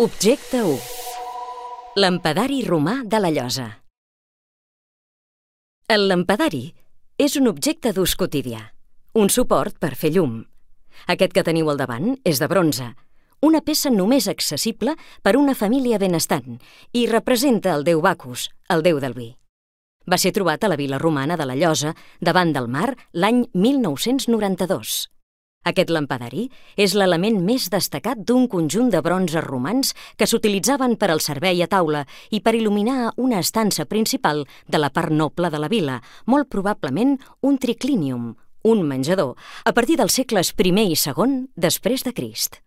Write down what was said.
Objecte 1. Lampadari romà de la llosa. El lampadari és un objecte d'ús quotidià, un suport per fer llum. Aquest que teniu al davant és de bronze, una peça només accessible per una família benestant i representa el déu Bacus, el déu del vi. Va ser trobat a la vila romana de la Llosa, davant del mar, l'any 1992. Aquest lampadari és l'element més destacat d'un conjunt de bronzes romans que s'utilitzaven per al servei a taula i per il·luminar una estança principal de la part noble de la vila, molt probablement un triclinium, un menjador, a partir dels segles I i II després de Crist.